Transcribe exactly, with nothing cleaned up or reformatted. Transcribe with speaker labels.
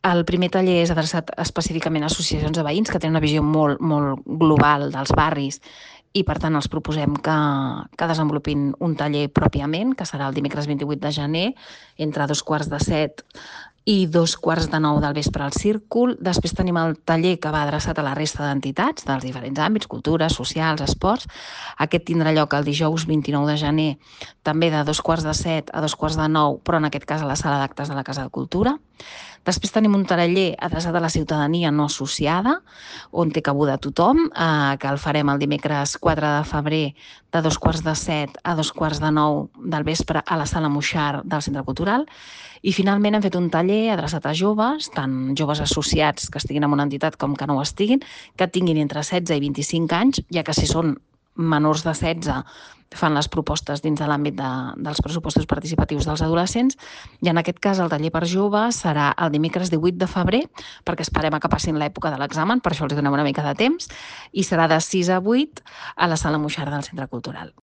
Speaker 1: El primer taller és adreçat específicament a associacions de veïns que tenen una visió molt, molt global dels barris i, per tant, els proposem que, que desenvolupin un taller pròpiament, que serà el dimecres vint-i-vuit de gener, entre dos quarts de set i dos quarts de nou del vespre al Círcul. Després tenim el taller que va adreçat a la resta d'entitats dels diferents àmbits, cultura, socials, esports. Aquest tindrà lloc el dijous vint-i-nou de gener, també de dos quarts de set a dos quarts de nou, però en aquest cas a la sala d'actes de la Casa de Cultura. Després tenim un taller adreçat a la ciutadania no associada, on té cabuda tothom, eh, que el farem el dimecres quatre de febrer de dos quarts de set a dos quarts de nou del vespre a la sala Moixart del Centre Cultural. I finalment hem fet un taller adreçat a joves, tant joves associats que estiguin en una entitat com que no ho estiguin, que tinguin entre setze i vint-i-cinc anys, ja que si són menors de setze fan les propostes dins de l'àmbit de, dels pressupostos participatius dels adolescents, i en aquest cas el taller per joves serà el dimecres divuit de febrer, perquè esperem a que passin l'època de l'examen, per això els donem una mica de temps, i serà de sis a vuit a la sala Moixart del Centre Cultural.